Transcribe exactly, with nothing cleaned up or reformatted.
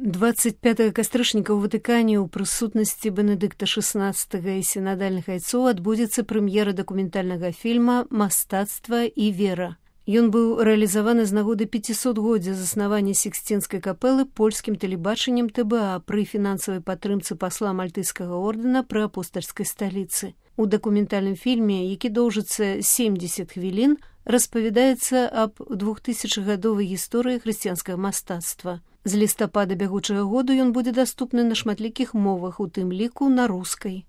двадцать пятага кастрычніка ў Ватыкане ў прысутнасці Бенедыкта шестнадцатага і сінадальных айцоў адбудзецца прэм'ера дакументальнага фільма «Мастацтва і вера». Ён быў рэалізаваны з нагоды пяцісотгоддзя заснавання Сіксцінскай капэлы польскім тэлебачаннем тэ бэ а пры фінансавай падтрымцы пасла мальтыйскага ордэна пры апостальскай сталіцы. У дакументальным фільме, які доўжыцца семдзесят хвілін, распавядаецца аб двухтысячагадовай гісторыі хрысціянскага мастацтва. З лістапада бягучага году ён будзе даступны на шматлікіх мовах, у тым ліку на рускай.